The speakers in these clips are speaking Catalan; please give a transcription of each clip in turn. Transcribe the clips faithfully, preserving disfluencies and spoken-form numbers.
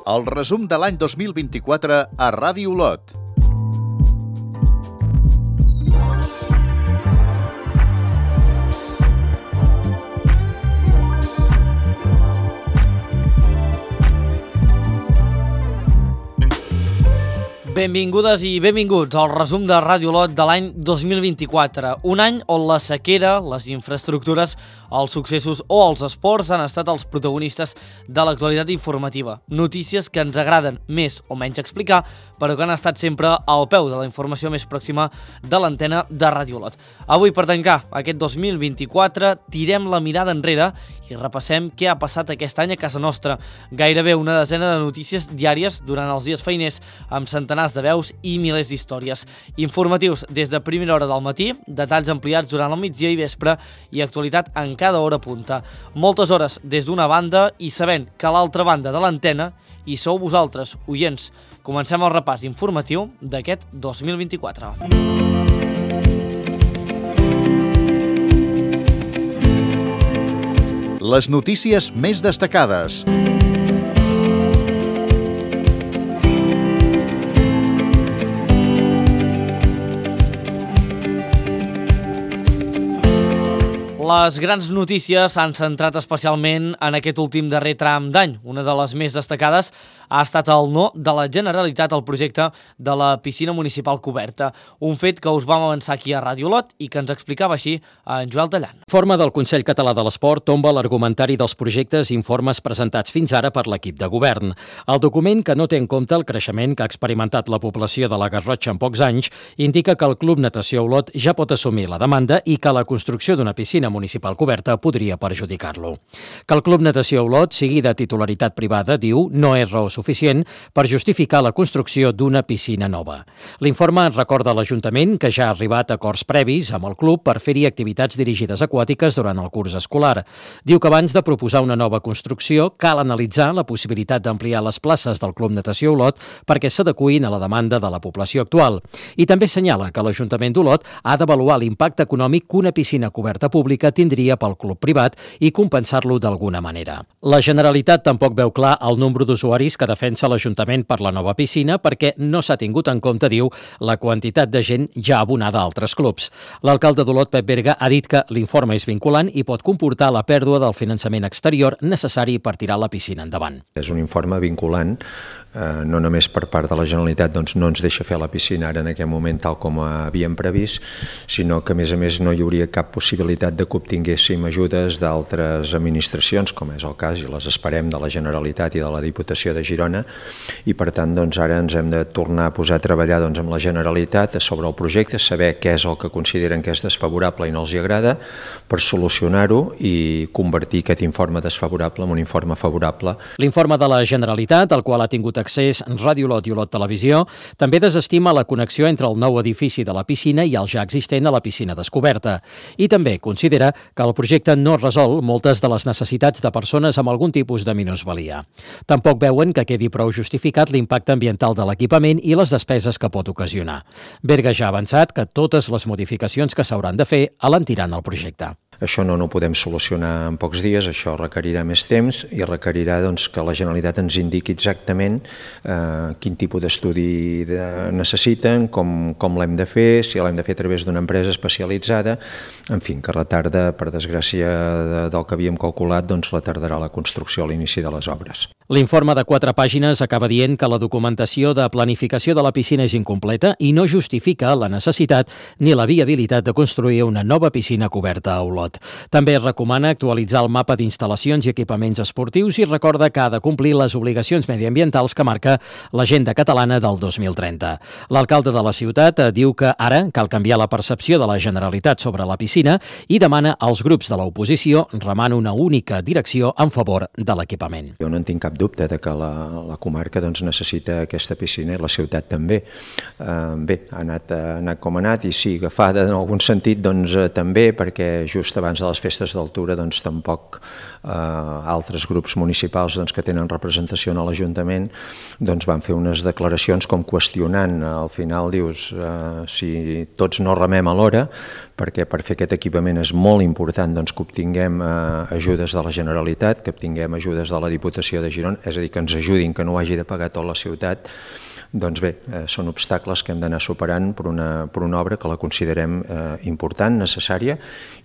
El resum de l'any dos mil vint-i-quatre a Ràdio Olot. Benvingudes i benvinguts al resum de Ràdio Olot de l'any dos mil vint-i-quatre, un any on la sequera, les infraestructures, els successos o els esports han estat els protagonistes de l'actualitat informativa. Notícies que ens agraden més o menys explicar, però que han estat sempre al peu de la informació més pròxima de l'antena de Ràdio Olot. Avui, per tancar aquest dos mil vint-i-quatre, tirem la mirada enrere i repassem què ha passat aquest any a casa nostra. Gairebé una desena de notícies diàries durant els dies feiners, amb centenars de veus i milers d'històries. Informatius des de primera hora del matí, detalls ampliats durant el migdia i vespre i actualitat en cada hora punta. Moltes hores des d'una banda i sabent que a l'altra banda de l'antena hi sou vosaltres, oients. Comencem el repàs informatiu d'aquest dos mil vint-i-quatre. Les notícies més destacades. Les grans notícies s'han centrat especialment en aquest últim darrer tram d'any. Una de les més destacades ha estat el no de la Generalitat al projecte de la piscina municipal coberta, un fet que us vam avançar aquí a Ràdio Olot i que ens explicava així en Joel Tallant. Forma del Consell Català de l'Esport tomba l'argumentari dels projectes i informes presentats fins ara per l'equip de govern. El document, que no té en compte el creixement que ha experimentat la població de la Garrotxa en pocs anys, indica que el Club Natació Olot ja pot assumir la demanda i que la construcció d'una piscina municipal coberta podria perjudicar-lo. Que el Club Natació Olot sigui de titularitat privada, diu, no és raó suficient per justificar la construcció d'una piscina nova. L'informe recorda a l'Ajuntament que ja ha arribat a acords previs amb el club per fer-hi activitats dirigides aquàtiques durant el curs escolar. Diu que abans de proposar una nova construcció cal analitzar la possibilitat d'ampliar les places del Club Natació Olot perquè s'adeqüin a la demanda de la població actual. I també assenyala que l'Ajuntament d'Olot ha d'avaluar l'impacte econòmic que una piscina coberta pública tindria pel club privat i compensar-lo d'alguna manera. La Generalitat tampoc veu clar el nombre d'usuaris que defensa l'Ajuntament per la nova piscina perquè no s'ha tingut en compte, diu, la quantitat de gent ja abonada a altres clubs. L'alcalde d'Olot, Pep Berga, ha dit que l'informe és vinculant i pot comportar la pèrdua del finançament exterior necessari per tirar la piscina endavant. És un informe vinculant, eh, no només per part de la Generalitat, doncs no ens deixa fer la piscina ara en aquest moment tal com havíem previst, sinó que a més a més no hi hauria cap possibilitat de que obtinguéssim ajudes d'altres administracions, com és el cas, i les esperem, de la Generalitat i de la Diputació de Girona, i per tant doncs, ara ens hem de tornar a posar a treballar doncs, amb la Generalitat sobre el projecte, saber què és el que consideren que és desfavorable i no els hi agrada, per solucionar-ho i convertir aquest informe desfavorable en un informe favorable. L'informe de la Generalitat, al qual ha tingut accés Ràdio Olot i Olot Televisió, també desestima la connexió entre el nou edifici de la piscina i el ja existent a la piscina descoberta. I també considera que el projecte no resol moltes de les necessitats de persones amb algun tipus de minusvalia. Tampoc veuen que quedi prou justificat l'impacte ambiental de l'equipament i les despeses que pot ocasionar. Berga ja ha avançat que totes les modificacions que s'hauran de fer alentiran el projecte. Això no, no ho podem solucionar en pocs dies, això requerirà més temps i requerirà doncs, que la Generalitat ens indiqui exactament eh, quin tipus d'estudi de, necessiten, com, com l'hem de fer, si l'hem de fer a través d'una empresa especialitzada, en fi, que retarda, per desgràcia de, del que havíem calculat, doncs retardarà la construcció a l'inici de les obres. L'informe de quatre pàgines acaba dient que la documentació de planificació de la piscina és incompleta i no justifica la necessitat ni la viabilitat de construir una nova piscina coberta a Olot. També recomana actualitzar el mapa d'instal·lacions i equipaments esportius i recorda que ha de complir les obligacions mediambientals que marca l'Agenda Catalana del dos mil trenta. L'alcalde de la ciutat diu que ara cal canviar la percepció de la Generalitat sobre la piscina i demana als grups de l'oposició remar una única direcció en favor de l'equipament. Jo no en tinc cap dubte de que la, la comarca doncs, necessita aquesta piscina i la ciutat també. Eh, bé, ha anat, ha anat com ha anat i sí, agafada en algun sentit doncs, també, perquè just abans de les festes d'altura doncs, tampoc eh, altres grups municipals doncs, que tenen representació a l'Ajuntament doncs, van fer unes declaracions com qüestionant, al final dius eh, si tots no remem alhora, perquè per fer aquest equipament és molt important doncs, que obtinguem eh, ajudes de la Generalitat, que obtinguem ajudes de la Diputació de Girona, correspondieron, és a dir, que ens ajudin, que no ho hagi de pagar tota la ciutat. Doncs bé, eh, són obstacles que hem d'anar superant per una, per una obra que la considerem eh, important, necessària,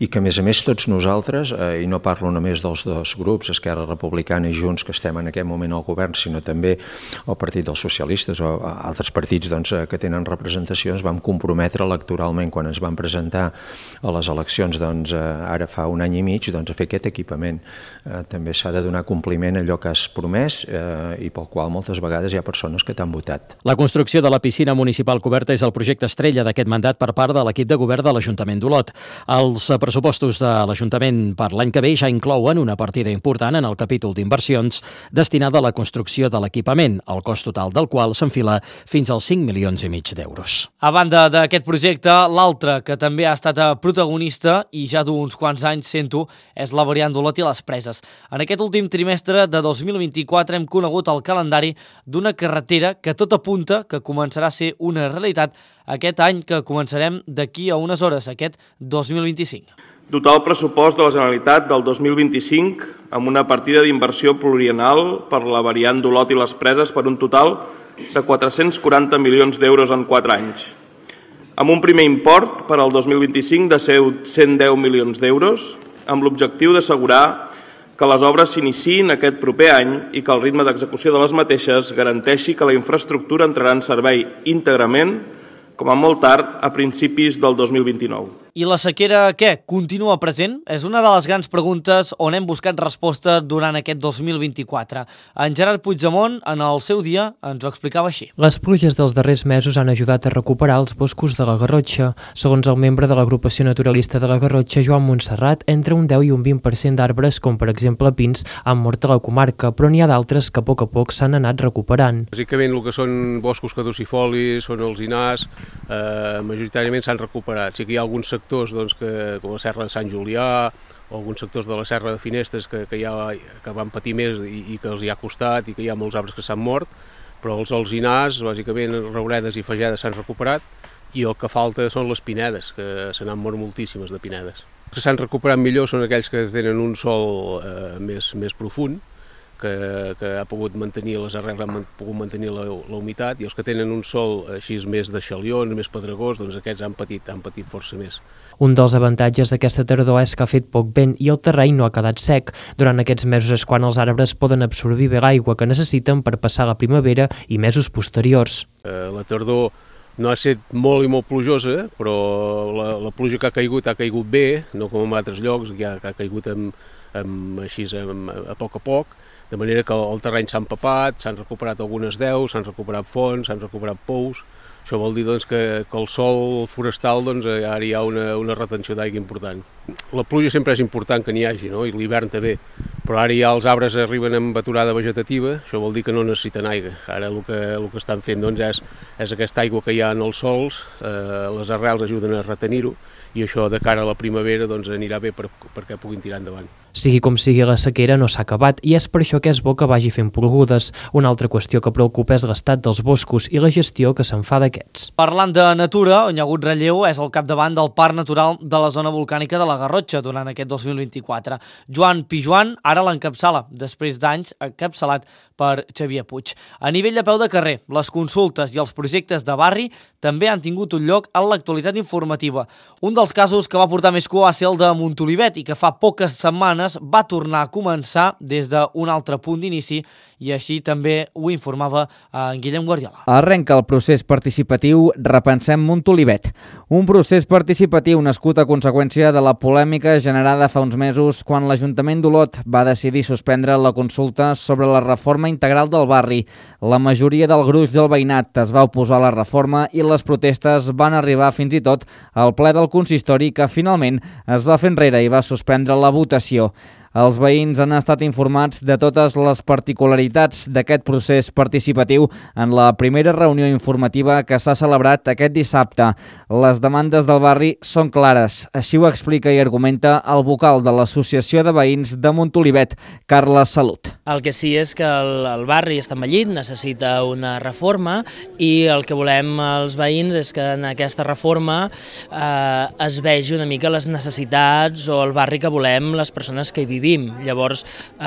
i que a més a més tots nosaltres, eh, i no parlo només dels dos grups, Esquerra Republicana i Junts, que estem en aquest moment al govern, sinó també el Partit dels Socialistes o altres partits doncs, que tenen representacions, vam comprometre electoralment quan ens vam presentar a les eleccions doncs, ara fa un any i mig doncs, a fer aquest equipament. Eh, també s'ha de donar compliment a allò que has promès eh, i pel qual moltes vegades hi ha persones que t'han votat. La construcció de la piscina municipal coberta és el projecte estrella d'aquest mandat per part de l'equip de govern de l'Ajuntament d'Olot. Els pressupostos de l'Ajuntament per l'any que ve ja inclouen una partida important en el capítol d'inversions destinada a la construcció de l'equipament, el cost total del qual s'enfila fins als cinc milions i mig d'euros. A banda d'aquest projecte, l'altre que també ha estat protagonista i ja d'uns quants anys sento és la variant d'Olot i les Preses. En aquest últim trimestre de dos mil vint-i-quatre hem conegut el calendari d'una carretera que tot apunta que començarà a ser una realitat aquest any que començarem d'aquí a unes hores, aquest dos mil vint-i-cinc. Dotar el pressupost de la Generalitat del dos mil vint-i-cinc amb una partida d'inversió plurianual per la variant d'Olot i les Preses per un total de quatre-cents quaranta milions d'euros en quatre anys. Amb un primer import per al dos mil vint-i-cinc de cent deu milions d'euros, amb l'objectiu d'assegurar que les obres s'iniciïn aquest proper any i que el ritme d'execució de les mateixes garanteixi que la infraestructura entrarà en servei íntegrament, com a molt tard, a principis del dos mil vint-i-nou. I la sequera, què? Continua present? És una de les grans preguntes on hem buscat resposta durant aquest dos mil vint-i-quatre. En Gerard Puigdemont, en el seu dia, ens ho explicava així. Les pluges dels darrers mesos han ajudat a recuperar els boscos de la Garrotxa. Segons el membre de l'agrupació naturalista de la Garrotxa, Joan Montserrat, entre un deu i un vint per cent d'arbres, com per exemple pins, han mort a la comarca, però n'hi ha d'altres que a poc a poc s'han anat recuperant. Bàsicament el que són boscos caducifolis, són els alzinars, eh, majoritàriament s'han recuperat. Sí que hi ha alguns sectors doncs, que, com la Serra de Sant Julià o alguns sectors de la Serra de Finestres que, que, ja, que van patir més i, i que els hi ha costat i que hi ha molts arbres que s'han mort, però els alzinars, bàsicament rouredes i fagedes s'han recuperat i el que falta són les pinedes, que se n'han mort moltíssimes de pinedes. Els que s'han recuperat millor són aquells que tenen un sòl eh, més, més profund, que, que ha pogut mantenir les arrels, han pogut mantenir la, la humitat, i els que tenen un sòl així més de xalions, més pedregós, doncs aquests han patit, han patit força més. Un dels avantatges d'aquesta tardor és que ha fet poc vent i el terreny no ha quedat sec. Durant aquests mesos és quan els arbres poden absorbir bé l'aigua que necessiten per passar la primavera i mesos posteriors. Eh, la tardor no ha estat molt i molt plujosa, però la, la pluja que ha caigut ha caigut bé, no com en altres llocs, ja que ha caigut amb, amb, així, amb, a poc a poc, de manera que el terreny s'ha empapat, s'han recuperat algunes deus, s'han recuperat fonts, s'han recuperat pous. Això vol dir doncs, que, que el sòl forestal doncs, ara hi ha una, una retenció d'aigua important. La pluja sempre és important que n'hi hagi, no? I l'hivern també, però ara ja els arbres arriben amb aturada vegetativa, això vol dir que no necessiten aigua. Ara el que, el que estan fent doncs, és, és aquesta aigua que hi ha en els sòls, eh, les arrels ajuden a retenir-ho, i això de cara a la primavera doncs, anirà bé per, perquè puguin tirar endavant. Sigui com sigui, la sequera no s'ha acabat i és per això que és bo que vagi fent plogudes. Una altra qüestió que preocupa és l'estat dels boscos i la gestió que se'n fa d'aquests. Parlant de natura, on hi ha hagut relleu és al capdavant del Parc Natural de la zona volcànica de la Garrotxa durant aquest dos mil vint-i-quatre. Joan Pijuan ara l'encapçala, després d'anys encapçalat per Xavier Puig. A nivell de peu de carrer, les consultes i els projectes de barri també han tingut un lloc en l'actualitat informativa. Un dels casos que va portar més cua va ser el de Montolivet i que fa poques setmanes va tornar a començar des d'un altre punt d'inici i així també ho informava en Guillem Guardiola. Arrenca el procés participatiu Repensem Montolivet, un procés participatiu nascut a conseqüència de la polèmica generada fa uns mesos quan l'Ajuntament d'Olot va decidir suspendre la consulta sobre la reforma integral del barri. La majoria del gruix del veïnat es va oposar a la reforma i les protestes van arribar fins i tot al ple del consistori que finalment es va fer enrere i va suspendre la votació. Els veïns han estat informats de totes les particularitats d'aquest procés participatiu en la primera reunió informativa que s'ha celebrat aquest dissabte. Les demandes del barri són clares, així ho explica i argumenta el vocal de l'Associació de Veïns de Montolivet, Carles Salut. El que sí és que el, el barri està envellit, necessita una reforma i el que volem els veïns és que en aquesta reforma eh, es vegi una mica les necessitats o el barri que volem les persones que hi vivim. vivim. Llavors, eh,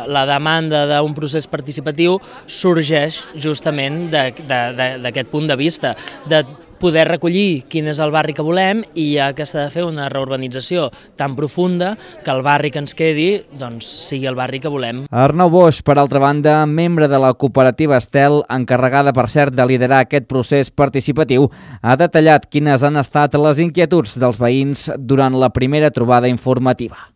la demanda d'un procés participatiu sorgeix justament d'aquest punt de vista, de poder recollir quin és el barri que volem i ja que s'ha de fer una reurbanització tan profunda que el barri que ens quedi doncs, sigui el barri que volem. Arnau Boix, per altra banda, membre de la cooperativa Estel, encarregada, per cert, de liderar aquest procés participatiu, ha detallat quines han estat les inquietuds dels veïns durant la primera trobada informativa.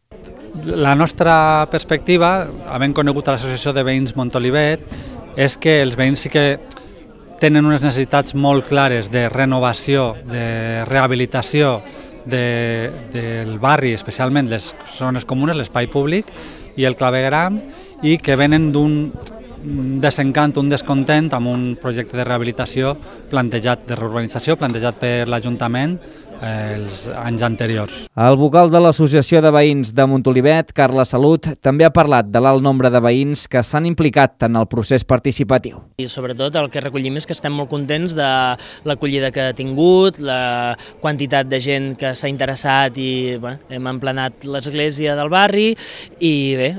La nostra perspectiva, havent conegut a l'Associació de Veïns Montolivet, és que els veïns sí que tenen unes necessitats molt clares de renovació, de rehabilitació de, del barri, especialment les zones comunes, l'espai públic i el clavegram, i que venen d'un desencant, un descontent amb un projecte de rehabilitació plantejat, de reurbanització plantejat per l'Ajuntament els anys anteriors. El vocal de l'Associació de Veïns de Montolivet, Carla Salut, també ha parlat de l'alt nombre de veïns que s'han implicat en el procés participatiu. I sobretot el que recollim és que estem molt contents de l'acollida que ha tingut, la quantitat de gent que s'ha interessat i bé, hem emplenat l'església del barri i bé,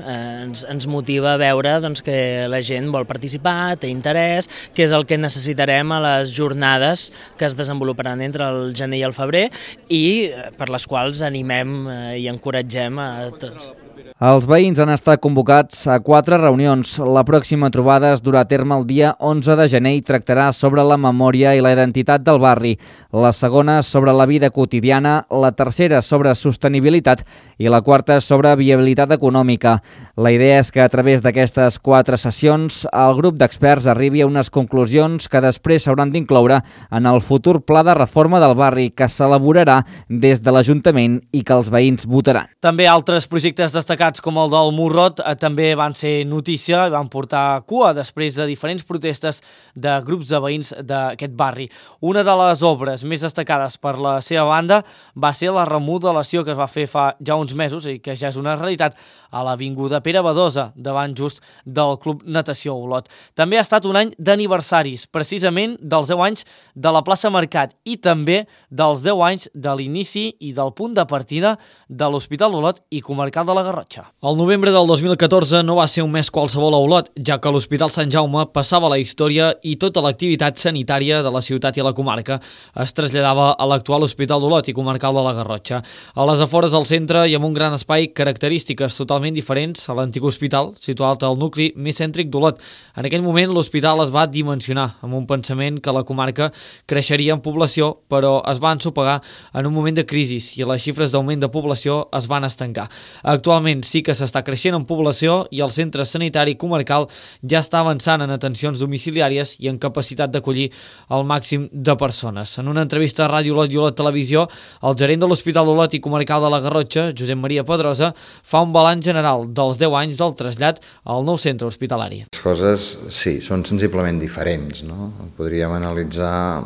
ens, ens motiva a veure doncs, que la gent vol participar, té interès, que és el que necessitarem a les jornades que es desenvoluparan entre el gener i el febrer i per les quals animem i encoratgem a tots. Els veïns han estat convocats a quatre reunions. La pròxima trobada es durà a terme el dia onze de gener i tractarà sobre la memòria i la identitat del barri. La segona sobre la vida quotidiana, la tercera sobre sostenibilitat i la quarta sobre viabilitat econòmica. La idea és que a través d'aquestes quatre sessions el grup d'experts arribi a unes conclusions que després s'hauran d'incloure en el futur pla de reforma del barri que s'elaborarà des de l'Ajuntament i que els veïns votaran. També altres projectes destacats com el del Morrot eh, també van ser notícia i van portar cua després de diferents protestes de grups de veïns d'aquest barri. Una de les obres més destacades per la seva banda va ser la remodelació que es va fer fa ja uns mesos i que ja és una realitat a l'avinguda Pere Badosa, davant just del Club Natació Olot. També ha estat un any d'aniversaris, precisament dels deu anys de la plaça Mercat i també dels deu anys de l'inici i del punt de partida de l'Hospital Olot i Comarcal de la Garrotxa. El novembre del dos mil catorze no va ser un mes qualsevol a Olot, ja que l'Hospital Sant Jaume passava a la història i tota l'activitat sanitària de la ciutat i la comarca es traslladava a l'actual Hospital d'Olot i Comarcal de la Garrotxa. A les afores del centre i amb un gran espai, característiques totalment diferents a l'antic hospital, situat al nucli més cèntric d'Olot. En aquell moment l'hospital es va dimensionar amb un pensament que la comarca creixeria en població, però es va ensopegar en un moment de crisi i les xifres d'augment de població es van estancar. Actualment sí que s'està creixent en població i el centre sanitari comarcal ja està avançant en atencions domiciliàries i en capacitat d'acollir el màxim de persones. En una entrevista a Ràdio Olot i Olot Televisió, el gerent de l'Hospital Olot i Comarcal de la Garrotxa, Josep Maria Pedrosa, fa un balanç general dels deu anys del trasllat al nou centre hospitalari. Les coses, sí, són sensiblement diferents, no? Podríem analitzar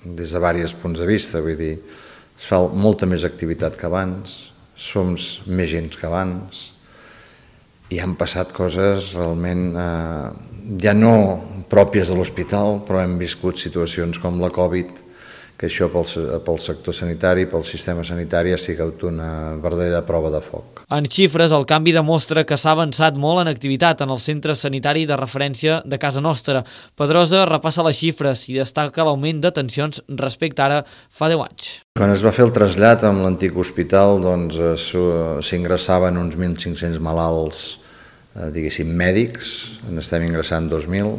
des de diversos punts de vista, vull dir, es fa molta més activitat que abans, som més gent que abans i han passat coses realment eh, ja no pròpies de l'hospital, però hem viscut situacions com la Covid, que això pel, pel sector sanitari, pel sistema sanitari ha sigut una verdadera prova de foc. En xifres, el canvi demostra que s'ha avançat molt en activitat en el centre sanitari de referència de casa nostra. Pedrosa repassa les xifres i destaca l'augment d'atencions respecte ara fa deu anys. Quan es va fer el trasllat amb l'antic hospital, doncs s'ingressaven uns mil cinc-cents malalts, eh, diguéssim, mèdics, n'estem ingressant dos mil,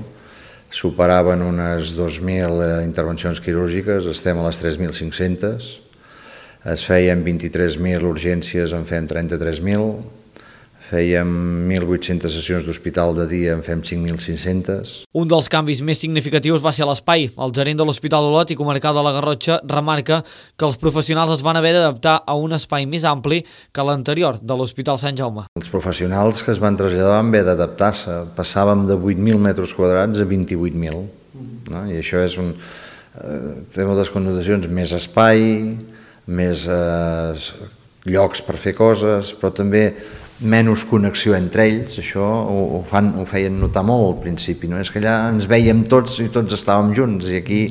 superaven unes dos mil intervencions quirúrgiques, estem a les tres mil cinc-centes, es feien vint-i-tres mil urgències, en fem trenta-tres mil, fèiem mil vuit-centes sessions d'hospital de dia, en fem cinc mil cinc-centes. Un dels canvis més significatius va ser l'espai. El gerent de l'Hospital Olot i Comarcal de la Garrotxa remarca que els professionals es van haver d'adaptar a un espai més ampli que l'anterior de l'Hospital Sant Jaume. Els professionals que es van traslladar van haver d'adaptar-se. Passàvem de vuit mil metres quadrats a vint-i-vuit mil. No? I això és un, eh, té moltes connotacions, més espai, més eh, llocs per fer coses, però també menys connexió entre ells. Això ho, ho, fan, ho feien notar molt al principi, no? És que allà ens veiem tots i tots estàvem junts i aquí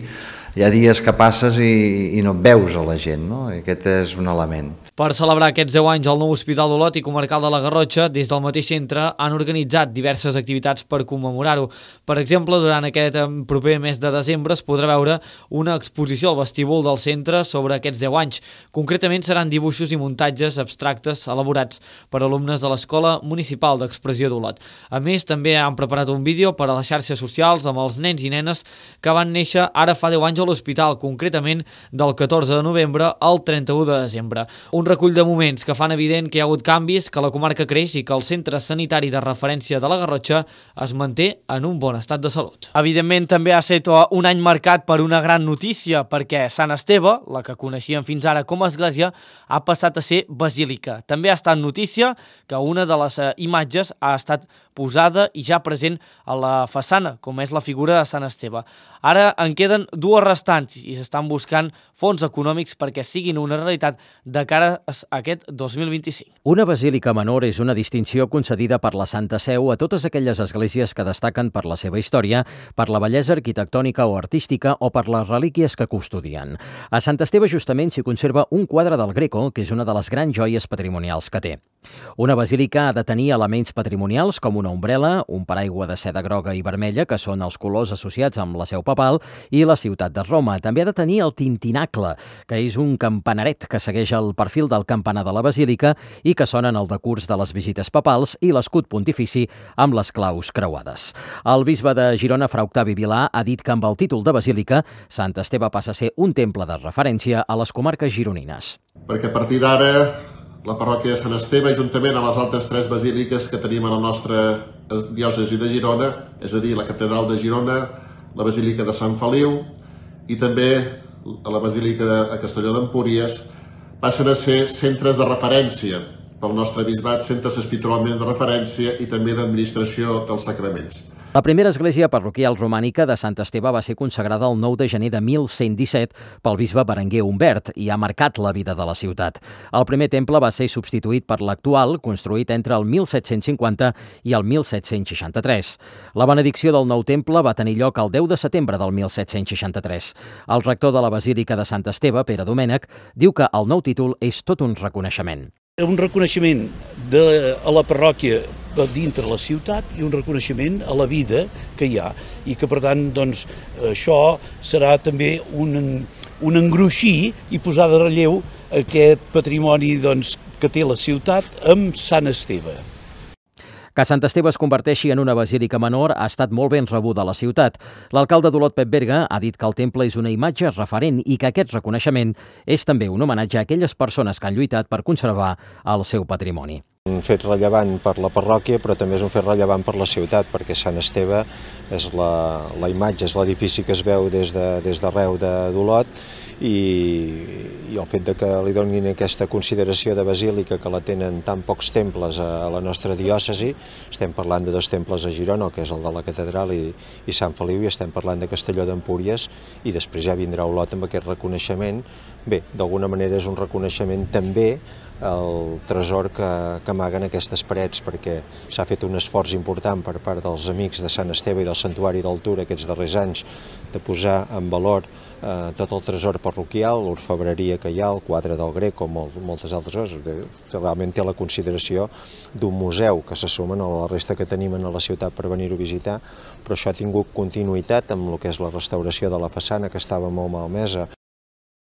hi ha dies que passes i, i no et veus a la gent, no? I aquest és un element. Per celebrar aquests deu anys al nou Hospital d'Olot i Comarcal de la Garrotxa, des del mateix centre han organitzat diverses activitats per commemorar-ho. Per exemple, durant aquest proper mes de desembre es podrà veure una exposició al vestíbul del centre sobre aquests deu anys. Concretament seran dibuixos i muntatges abstractes elaborats per alumnes de l'Escola Municipal d'Expressió d'Olot. A més, també han preparat un vídeo per a les xarxes socials amb els nens i nenes que van néixer ara fa deu anys a l'hospital, concretament del catorze de novembre al trenta-u de desembre. Un recull de moments que fan evident que hi ha hagut canvis, que la comarca creix i que el centre sanitari de referència de la Garrotxa es manté en un bon estat de salut. Evidentment, també ha estat un any marcat per una gran notícia, perquè Sant Esteve, la que coneixíem fins ara com a església, ha passat a ser basílica. També ha estat notícia que una de les imatges ha estat posada i ja present a la façana, com és la figura de Sant Esteve. Ara en queden dues restants i s'estan buscant fons econòmics perquè siguin una realitat de cara a aquest dos mil vint-i-cinc. Una basílica menor és una distinció concedida per la Santa Seu a totes aquelles esglésies que destaquen per la seva història, per la bellesa arquitectònica o artística o per les relíquies que custodien. A Sant Esteve justament s'hi conserva un quadre del Greco, que és una de les grans joies patrimonials que té. Una basílica ha de tenir elements patrimonials com una ombrela, un paraigua de seda groga i vermella, que són els colors associats amb la seu papal, i la ciutat de Roma. També ha de tenir el tintinacle, que és un campanaret que segueix el perfil del campanar de la basílica i que sona en el decurs de les visites papals, i l'escut pontifici amb les claus creuades. El bisbe de Girona, Fra Octavi Vilà, ha dit que amb el títol de basílica, Sant Esteve passa a ser un temple de referència a les comarques gironines. Perquè a partir d'ara la parròquia de Sant Esteve, juntament amb les altres tres basíliques que tenim a la nostra diòcesi de Girona, és a dir, la catedral de Girona, la basílica de Sant Feliu i també la basílica de Castelló d'Empúries, passen a ser centres de referència pel nostre bisbat, centres espiritualment de referència i també d'administració dels sacraments. La primera església parroquial romànica de Sant Esteve va ser consagrada el nou de gener de mil cent disset pel bisbe Berenguer Humbert i ha marcat la vida de la ciutat. El primer temple va ser substituït per l'actual, construït entre el mil set-cents cinquanta i el mil set-cents seixanta-tres. La benedicció del nou temple va tenir lloc el deu de setembre del mil set-cents seixanta-tres. El rector de la Basílica de Sant Esteve, Pere Domènech, diu que el nou títol és tot un reconeixement. Un reconeixement de, a la parròquia dintre la ciutat i un reconeixement a la vida que hi ha i que per tant doncs, això serà també un, un engruixir i posar de relleu aquest patrimoni doncs, que té la ciutat amb Sant Esteve. Que Sant Esteve es converteixi en una basílica menor ha estat molt ben rebuda a la ciutat. L'alcalde d'Olot, Pep Berga, ha dit que el temple és una imatge referent i que aquest reconeixement és també un homenatge a aquelles persones que han lluitat per conservar el seu patrimoni. Un fet rellevant per la parròquia, però també és un fet rellevant per la ciutat, perquè Sant Esteve és la, la imatge, és l'edifici que es veu des de, des d'arreu d'Olot i, i el fet de que li donin aquesta consideració de basílica, que la tenen tan pocs temples a, a la nostra diòcesi, estem parlant de dos temples a Girona, que és el de la catedral i, i Sant Feliu, i estem parlant de Castelló d'Empúries, i després ja vindrà Olot amb aquest reconeixement. Bé, d'alguna manera és un reconeixement també el tresor que, que amaguen aquestes parets, perquè s'ha fet un esforç important per part dels amics de Sant Esteve i del Santuari d'Altura aquests darrers anys de posar en valor eh, tot el tresor parroquial, l'orfebreria que hi ha, el quadre del Greco, molt, moltes altres coses. Realment té la consideració d'un museu que se sumen a la resta que tenim a la ciutat per venir-ho a visitar, però això ha tingut continuïtat amb el que és la restauració de la façana, que estava molt malmesa.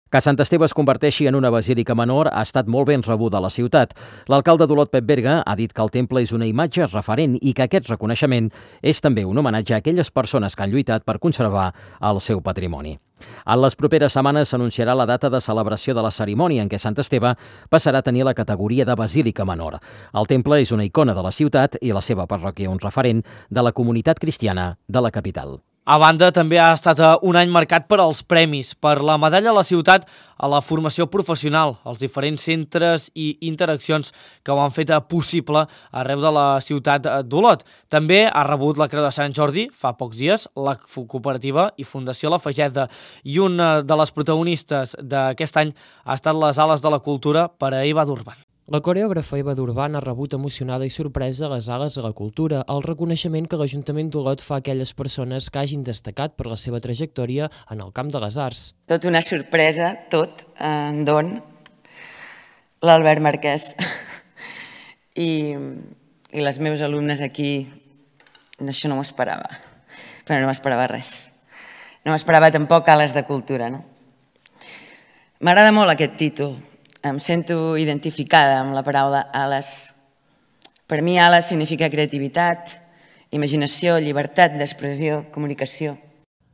Que Sant Esteve es converteixi en una basílica menor ha estat molt ben rebuda a la ciutat. L'alcalde d'Olot, Pep Berga, ha dit que el temple és una imatge referent i que aquest reconeixement és també un homenatge a aquelles persones que han lluitat per conservar el seu patrimoni. En les properes setmanes s'anunciarà la data de celebració de la cerimònia en què Sant Esteve passarà a tenir la categoria de basílica menor. El temple és una icona de la ciutat i la seva parròquia un referent de la comunitat cristiana de la capital. A banda, també ha estat un any marcat per als premis, per la medalla a la ciutat a la formació professional, els diferents centres i interaccions que ho han fet possible arreu de la ciutat d'Olot. També ha rebut la Creu de Sant Jordi fa pocs dies la cooperativa i Fundació La Fageda, i una de les protagonistes d'aquest any ha estat les Ales de la Cultura per a Eva Durban. La coreògrafa Eva Durban ha rebut emocionada i sorpresa a les Ales de la Cultura, el reconeixement que l'Ajuntament d'Olot fa a aquelles persones que hagin destacat per la seva trajectòria en el camp de les arts. Tot una sorpresa, tot, en don, l'Albert Marquès i, i les meves alumnes aquí, això no m'ho esperava, però no m'esperava res. No m'esperava tampoc Ales de Cultura, no? M'agrada molt aquest títol. Em sento identificada amb la paraula ales. Per mi, ales significa creativitat, imaginació, llibertat d'expressió, comunicació.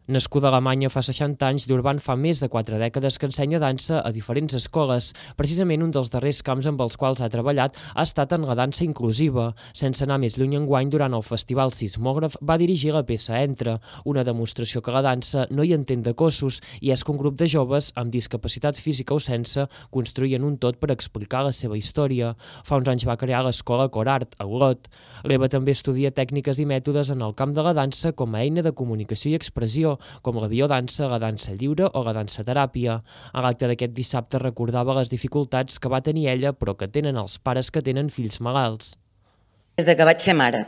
Nascuda a Alemanya fa seixanta anys, Durban fa més de quatre dècades que ensenya dansa a diferents escoles. Precisament un dels darrers camps amb els quals ha treballat ha estat en la dansa inclusiva. Sense anar més lluny enguany, durant el Festival Sismògraf va dirigir la peça Entra, una demostració que la dansa no hi entén de cossos i és que un grup de joves amb discapacitat física o sense construïen un tot per explicar la seva història. Fa uns anys va crear l'escola Corart, a Olot. L'Eva també estudia tècniques i mètodes en el camp de la dansa com a eina de comunicació i expressió, com la biodansa, la dansa lliure o la dansa teràpia. A l'acte d'aquest dissabte recordava les dificultats que va tenir ella, però que tenen els pares que tenen fills malalts. Des que vaig ser mare,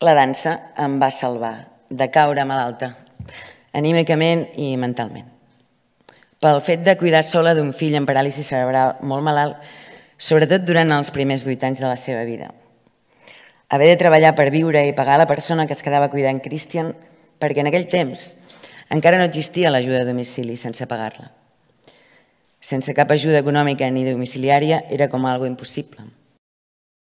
la dansa em va salvar de caure malalta, anímicament i mentalment. Pel fet de cuidar sola d'un fill amb paràlisi cerebral molt malalt, sobretot durant els primers vuit anys de la seva vida. Haver de treballar per viure i pagar la persona que es quedava cuidant Christian, perquè en aquell temps encara no existia l'ajuda a domicili sense pagar-la. Sense cap ajuda econòmica ni domiciliària era com algo impossible.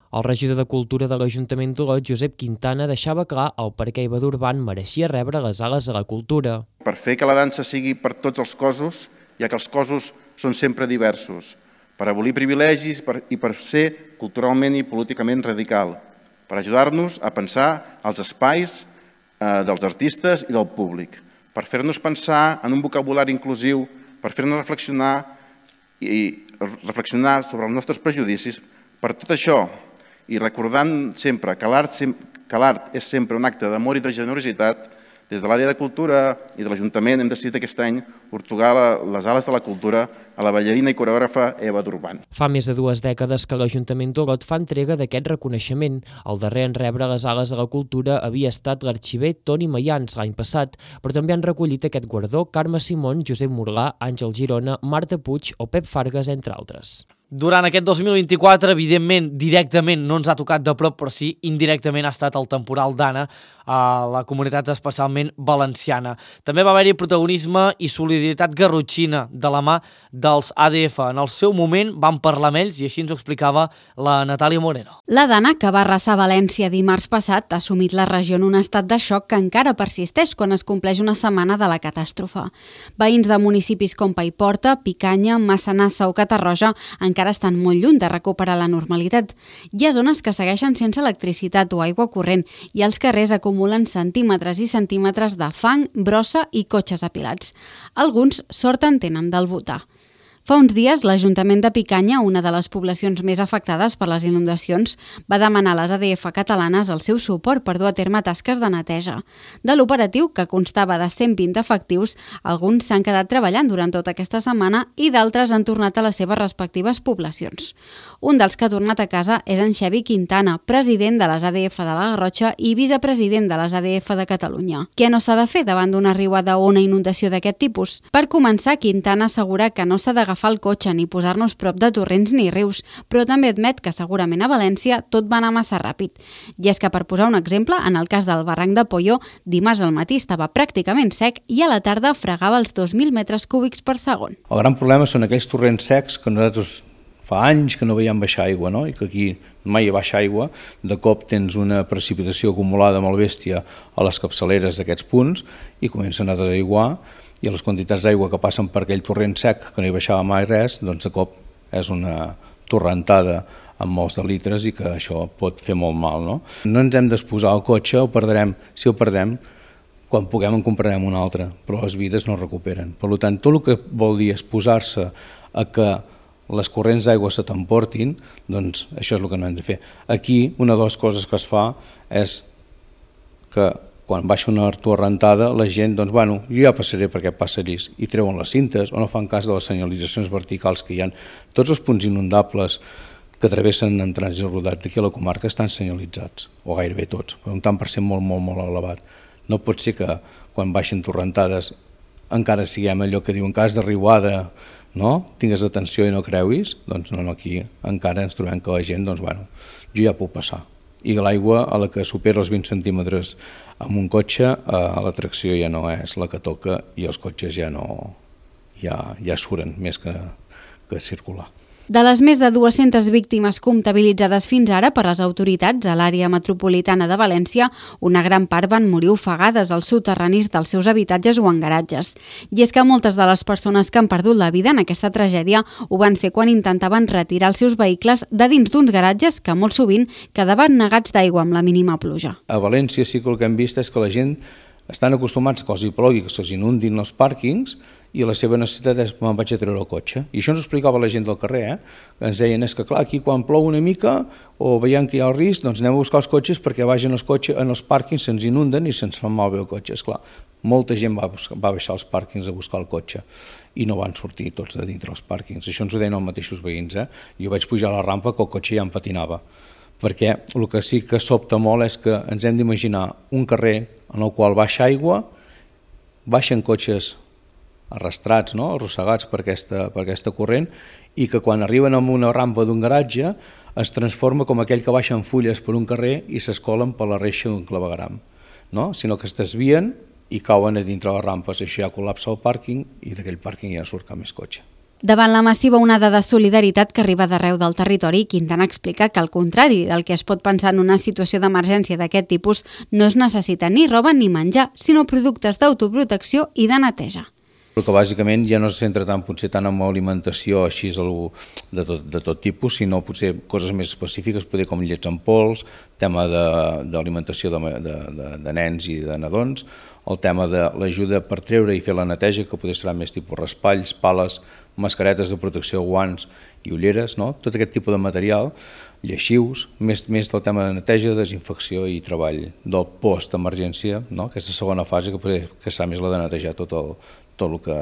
El regidor de Cultura de l'Ajuntament d'Olot, Josep Quintana, deixava clar el per què Eva Durban mereixia rebre les Ales de la Cultura. Per fer que la dansa sigui per tots els cossos, ja que els cossos són sempre diversos, per abolir privilegis i per ser culturalment i políticament radical, per ajudar-nos a pensar els espais dels artistes i del públic, per fer-nos pensar en un vocabulari inclusiu, per fer-nos reflexionar i reflexionar sobre els nostres prejudicis. Per tot això, i recordant sempre que l'art és sempre un acte d'amor i de generositat, des de l'àrea de cultura i de l'Ajuntament hem decidit aquest any atorgar les Ales de la Cultura a la ballarina i coreògrafa Eva Durban. Fa més de dues dècades que l'Ajuntament d'Olot fa entrega d'aquest reconeixement. El darrer en rebre les Ales de la Cultura havia estat l'arxiver Toni Mayans l'any passat, però també han recollit aquest guardó Carme Simón, Josep Morlà, Àngel Girona, Marta Puig o Pep Fargas, entre altres. Durant aquest dos mil vint-i-quatre, evidentment, directament no ens ha tocat de prop, però sí, indirectament ha estat el temporal d'Anna a la comunitat especialment valenciana. També va haver-hi protagonisme i solidaritat garrotxina de la mà dels A D F. En el seu moment van parlar amb ells i així ens ho explicava la Natàlia Moreno. La Dana, que va arrasar València dimarts passat, ha assumit la regió en un estat de xoc que encara persisteix quan es compleix una setmana de la catàstrofe. Veïns de municipis com Paiporta, Picanya, Massanassa o Catarroja encara estan molt lluny de recuperar la normalitat. Hi ha zones que segueixen sense electricitat o aigua corrent i els carrers acumulen centímetres i centímetres de fang, brossa i cotxes apilats. Alguns sort en tenen del butà. Fa uns dies, l'Ajuntament de Picanya, una de les poblacions més afectades per les inundacions, va demanar a les A D F catalanes el seu suport per dur a terme tasques de neteja. De l'operatiu, que constava de cent vint efectius, alguns s'han quedat treballant durant tota aquesta setmana i d'altres han tornat a les seves respectives poblacions. Un dels que ha tornat a casa és en Xavi Quintana, president de les A D F de la Garrotxa i vicepresident de les A D F de Catalunya. Què no s'ha de fer davant d'una riuada o una inundació d'aquest tipus? Per començar, Quintana assegura que no s'ha d'agafar agafar el cotxe ni posar-nos prop de torrents ni rius, però també admet que segurament a València tot va anar massa ràpid. I és que, per posar un exemple, en el cas del barranc de Polló, dimarts al matí estava pràcticament sec i a la tarda fregava els dos mil metres cúbics per segon. El gran problema són aquells torrents secs que nosaltres fa anys que no veiem baixar aigua, no? I que aquí mai hi baixa aigua, de cop tens una precipitació acumulada molt bèstia a les capçaleres d'aquests punts i comencen a desaiguar, i les quantitats d'aigua que passen per aquell torrent sec que no hi baixava mai res, doncs de cop és una torrentada amb molts de litres i que això pot fer molt mal. No, no ens hem d'exposar al cotxe, el perdrem, si el perdem, quan puguem en comprarem un altre, però les vides no es recuperen. Per tant, tot el que vol dir exposar-se a que les corrents d'aigua se t'emportin, doncs això és el que no hem de fer. Aquí, una de les coses que es fa és que quan baixa una torrentada, la gent, doncs, bueno, jo ja passaré per aquest passadís, i treuen les cintes, o no fan cas de les senyalitzacions verticals que hi ha. Tots els punts inundables que travessen en trànsit rodat d'aquí a la comarca estan senyalitzats, o gairebé tots, per un tant per cent molt, molt, molt elevat. No pot ser que quan baixen torrentades encara siguem allò que diuen cas de riuada, no? Tingues atenció i no creuis, doncs no, no, aquí encara ens trobem que la gent, doncs, bueno, jo ja puc passar. I l'aigua, a la que supera els vint centímetres amb un cotxe, eh, la tracció ja no és la que toca i els cotxes ja no ja, ja suren més que, que circular. De les més de dues-centes víctimes comptabilitzades fins ara per les autoritats a l'àrea metropolitana de València, una gran part van morir ofegades als soterranis dels seus habitatges o en garatges. I és que moltes de les persones que han perdut la vida en aquesta tragèdia ho van fer quan intentaven retirar els seus vehicles de dins d'uns garatges que molt sovint quedaven negats d'aigua amb la mínima pluja. A València sí que el que hem vist és que la gent estan acostumats que els hi plogui, que se'ls inundin els pàrquings, i la seva necessitat és me'n vaig a treure el cotxe. I això ens ho explicava la gent del carrer, eh? Que ens deien, és que clar, aquí quan plou una mica o veiem que hi ha el risc, doncs anem a buscar els cotxes perquè vagin els cotxes en els pàrquings, se'ns inunden i se'ns fan malbé el cotxe. Esclar, molta gent va, buscar, va baixar als pàrquings a buscar el cotxe i no van sortir tots de dintre els pàrquings. Això ens ho deien els mateixos veïns, eh? Jo vaig pujar a la rampa que el cotxe ja em patinava, perquè el que sí que sobta molt és que ens hem d'imaginar un carrer en el qual baixa aigua, baixen cotxes arrastrats, no? Arrossegats per aquesta, per aquesta corrent, i que quan arriben a una rampa d'un garatge es transforma com aquell que baixen fulles per un carrer i s'escolen per la reixa d'un clavegueram, no? Sinó que es desvien i cauen a dintre les rampes, això ja col·lapsa el pàrquing i d'aquell pàrquing ja surt cap més cotxe. Davant la massiva onada de solidaritat que arriba d'arreu del territori, Quintana explica que, al contrari del que es pot pensar en una situació d'emergència d'aquest tipus, no es necessita ni roba ni menjar, sinó productes d'autoprotecció i de neteja. Però que bàsicament ja no se centra tant potser tant en alimentació així de tot, de tot tipus, sinó potser coses més específiques, potser com llets en pols, tema d'alimentació de, de, de, de nens i de nadons, el tema de l'ajuda per treure i fer la neteja, que potser serà més tipus raspalls, pales, mascaretes de protecció, guants i ulleres, no? Tot aquest tipus de material, lleixius, més, més del tema de neteja, desinfecció i treball del post-emergència, no? Aquesta segona fase que potser que serà més la de netejar tot el, tot el que,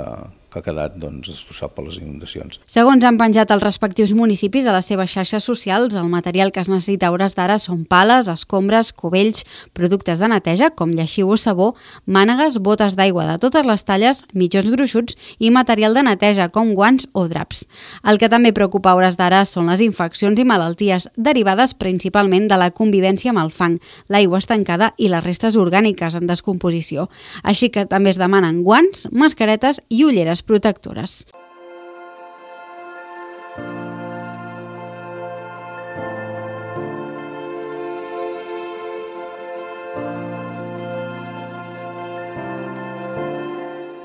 que ha quedat doncs, destrossat per les inundacions. Segons han penjat els respectius municipis a les seves xarxes socials, el material que es necessita a hores d'ara són pales, escombres, cubells, productes de neteja com lleixiu o sabó, mànegues, botes d'aigua de totes les talles, mitjons gruixuts i material de neteja com guants o draps. El que també preocupa a hores d'ara són les infeccions i malalties derivades principalment de la convivència amb el fang, l'aigua estancada i les restes orgàniques en descomposició. Així que també es demanen guants, mascaretes i ulleres protectores.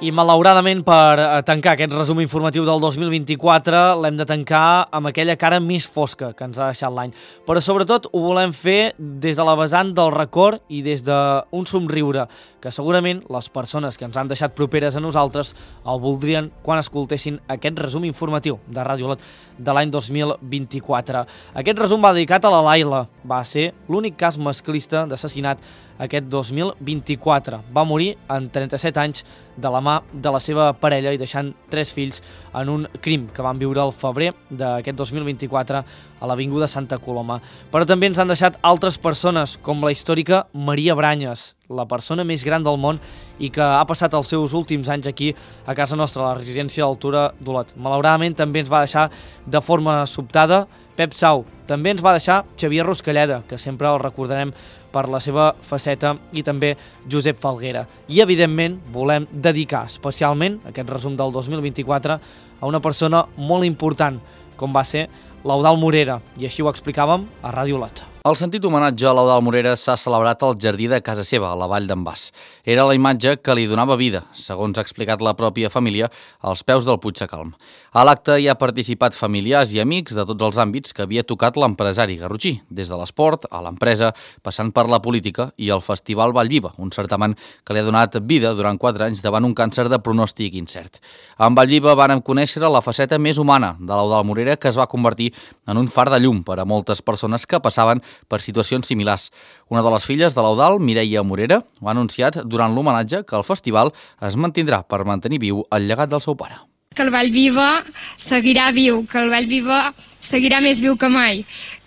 I malauradament per tancar aquest resum informatiu del dos mil vint-i-quatre l'hem de tancar amb aquella cara més fosca que ens ha deixat l'any. Però sobretot ho volem fer des de la vessant del record i des d'un somriure, que segurament les persones que ens han deixat properes a nosaltres el voldrien quan escoltessin aquest resum informatiu de Ràdio Olot de l'any dos mil vint-i-quatre. Aquest resum va dedicat a la Laila. Va ser l'únic cas masclista d'assassinat aquest dos mil vint-i-quatre. Va morir en trenta-set anys de la mà de la seva parella i deixant tres fills en un crim que van viure al febrer d'aquest dos mil vint-i-quatre a l'Avinguda Santa Coloma. Però també ens han deixat altres persones, com la històrica Maria Branyes, la persona més gran del món i que ha passat els seus últims anys aquí a casa nostra, a la residència d'Altura d'Olot. Malauradament també ens va deixar de forma sobtada Pep Sau. També ens va deixar Xavier Ruscalleda, que sempre el recordarem per la seva faceta, i també Josep Falguera. I, evidentment, volem dedicar especialment aquest resum del dos mil vint-i-quatre a una persona molt important, com va ser l'Eudald Morera, i així ho explicàvem a Ràdio Olot. El sentit homenatge a l'Eudald Morera s'ha celebrat al jardí de casa seva, a la Vall d'en Bas. Era la imatge que li donava vida, segons ha explicat la pròpia família, als peus del Puig de Calm. A l'acte hi ha participat familiars i amics de tots els àmbits que havia tocat l'empresari garrotxí, des de l'esport a l'empresa, passant per la política i el Festival Vallviva, un certamen que li ha donat vida durant quatre anys davant un càncer de pronòstic incert. En Vallviva vàrem conèixer la faceta més humana de l'Eudald Morera, que es va convertir en un far de llum per a moltes persones que passaven per situacions similars. Una de les filles de l'Eudald, Mireia Morera, ho ha anunciat durant l'homenatge que el festival es mantindrà per mantenir viu el llegat del seu pare. Que el Vallviva seguirà viu, que el Vallviva seguirà més viu que mai,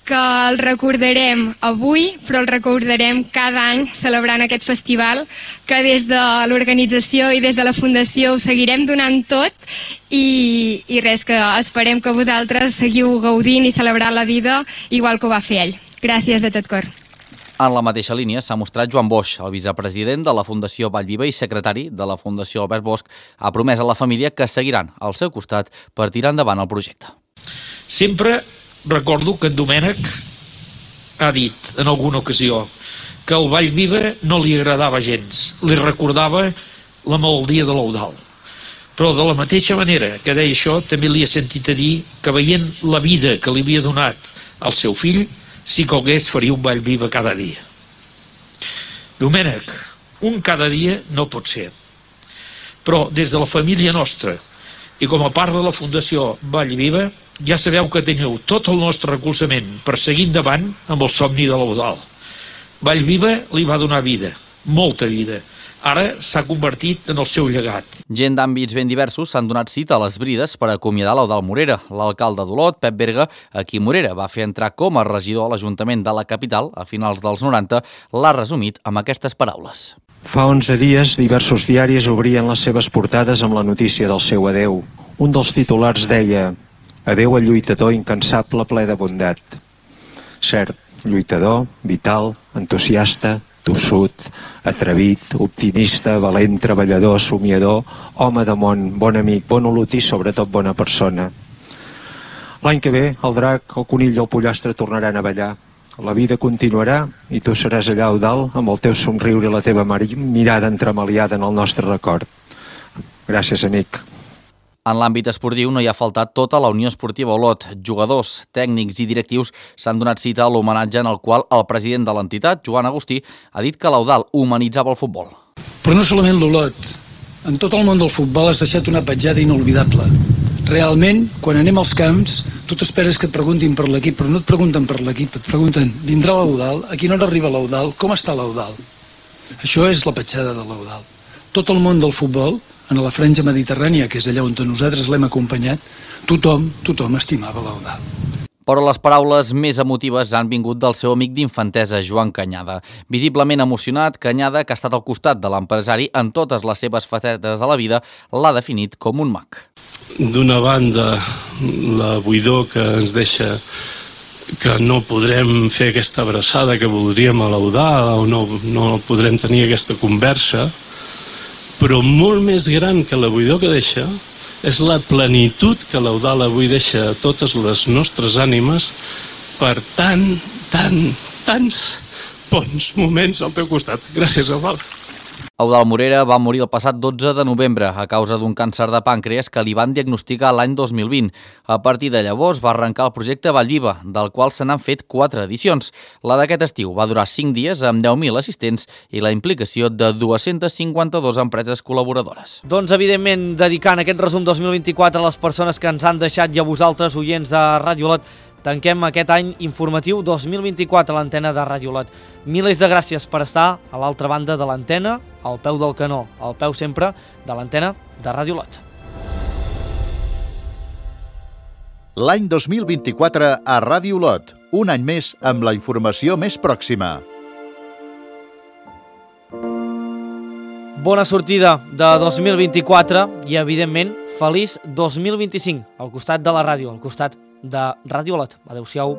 que el recordarem avui, però el recordarem cada any celebrant aquest festival, que des de l'organització i des de la Fundació ho seguirem donant tot i, i res, que esperem que vosaltres seguiu gaudint i celebrant la vida igual que ho va fer ell. Gràcies de tot cor. En la mateixa línia s'ha mostrat Joan Boix, el vicepresident de la Fundació Vallviva i secretari de la Fundació Albert Bosch, ha promès a la família que seguiran al seu costat per tirar endavant el projecte. Sempre recordo que en Domènec ha dit en alguna ocasió que el Vallviva no li agradava gens, li recordava la malaltia de l'Eudald. Però de la mateixa manera que deia això, també li he sentit a dir que veient la vida que li havia donat al seu fill, si calgués faria un Vallviva cada dia. Domènec, un cada dia no pot ser. Però des de la família nostra i com a part de la Fundació Vallviva, ja sabeu que teniu tot el nostre recolzament per seguir endavant amb el somni de l'Eudald. Vallviva li va donar vida, molta vida. Ara s'ha convertit en el seu llegat. Gent d'àmbits ben diversos s'han donat cita a les brides per acomiadar l'Eudald Morera. L'alcalde d'Olot, Pep Berga, a qui Morera va fer entrar com a regidor a l'Ajuntament de la capital a finals dels noranta, l'ha resumit amb aquestes paraules. Fa onze dies, diversos diaris obrien les seves portades amb la notícia del seu adeu. Un dels titulars deia: adeu al lluitador incansable ple de bondat. Cert, lluitador, vital, entusiasta, tossut, atrevit, optimista, valent, treballador, somiador, home de món, bon amic, bon olotí, sobretot bona persona. L'any que ve, el drac, el conill i el pollastre tornaran a ballar. La vida continuarà i tu seràs allà, Eudald, amb el teu somriure i la teva mirada entremaliada en el nostre record. Gràcies, amic. En l'àmbit esportiu no hi ha faltat tota la Unió Esportiva Olot. Jugadors, tècnics i directius s'han donat cita a l'homenatge en el qual el president de l'entitat, Joan Agustí, ha dit que l'Eudald humanitzava el futbol. Però no solament l'Olot. En tot el món del futbol has deixat una petjada inolvidable. Realment, quan anem als camps, tu t'esperes que et preguntin per l'equip, però no et pregunten per l'equip, et pregunten, vindrà l'Eudald? A quina hora arriba l'Eudald? Com està l'Eudald? Això és la petjada de l'Eudald. Tot el món del futbol, en la franja mediterrània, que és allà on nosaltres l'hem acompanyat, tothom, tothom estimava l'Eudald. Però les paraules més emotives han vingut del seu amic d'infantesa, Joan Canyada. Visiblement emocionat, Canyada, que ha estat al costat de l'empresari en totes les seves facetes de la vida, l'ha definit com un mag. D'una banda, la buidor que ens deixa que no podrem fer aquesta abraçada que voldríem a l'Eudald o no, no podrem tenir aquesta conversa, però molt més gran que la buidor que deixa és la plenitud que l'Eudald avui deixa a totes les nostres ànimes per tant, tant, tants bons moments al teu costat. Gràcies, Eudald. Eudald Morera va morir el passat dotze de novembre a causa d'un càncer de pàncreas que li van diagnosticar l'any dos mil vint. A partir de llavors va arrencar el projecte Vallviva, del qual se n'han fet quatre edicions. La d'aquest estiu va durar cinc dies amb deu mil assistents i la implicació de dues-centes cinquanta-dues empreses col·laboradores. Doncs, evidentment, dedicant aquest resum dos mil vint-i-quatre a les persones que ens han deixat i a vosaltres, oients de Ràdio Olot, tanquem aquest any informatiu dos mil vint-i-quatre a l'antena de Ràdio Olot. Milers de gràcies per estar a l'altra banda de l'antena, al peu del canó, al peu sempre de l'antena de Ràdio Olot. L'any dos mil vint-i-quatre a Ràdio Olot, un any més amb la informació més pròxima. Bona sortida de dos mil vint-i-quatre i, evidentment, feliç dos mil vint-i-cinc al costat de la ràdio, al costat de Ràdio Olot. Adéu-siau.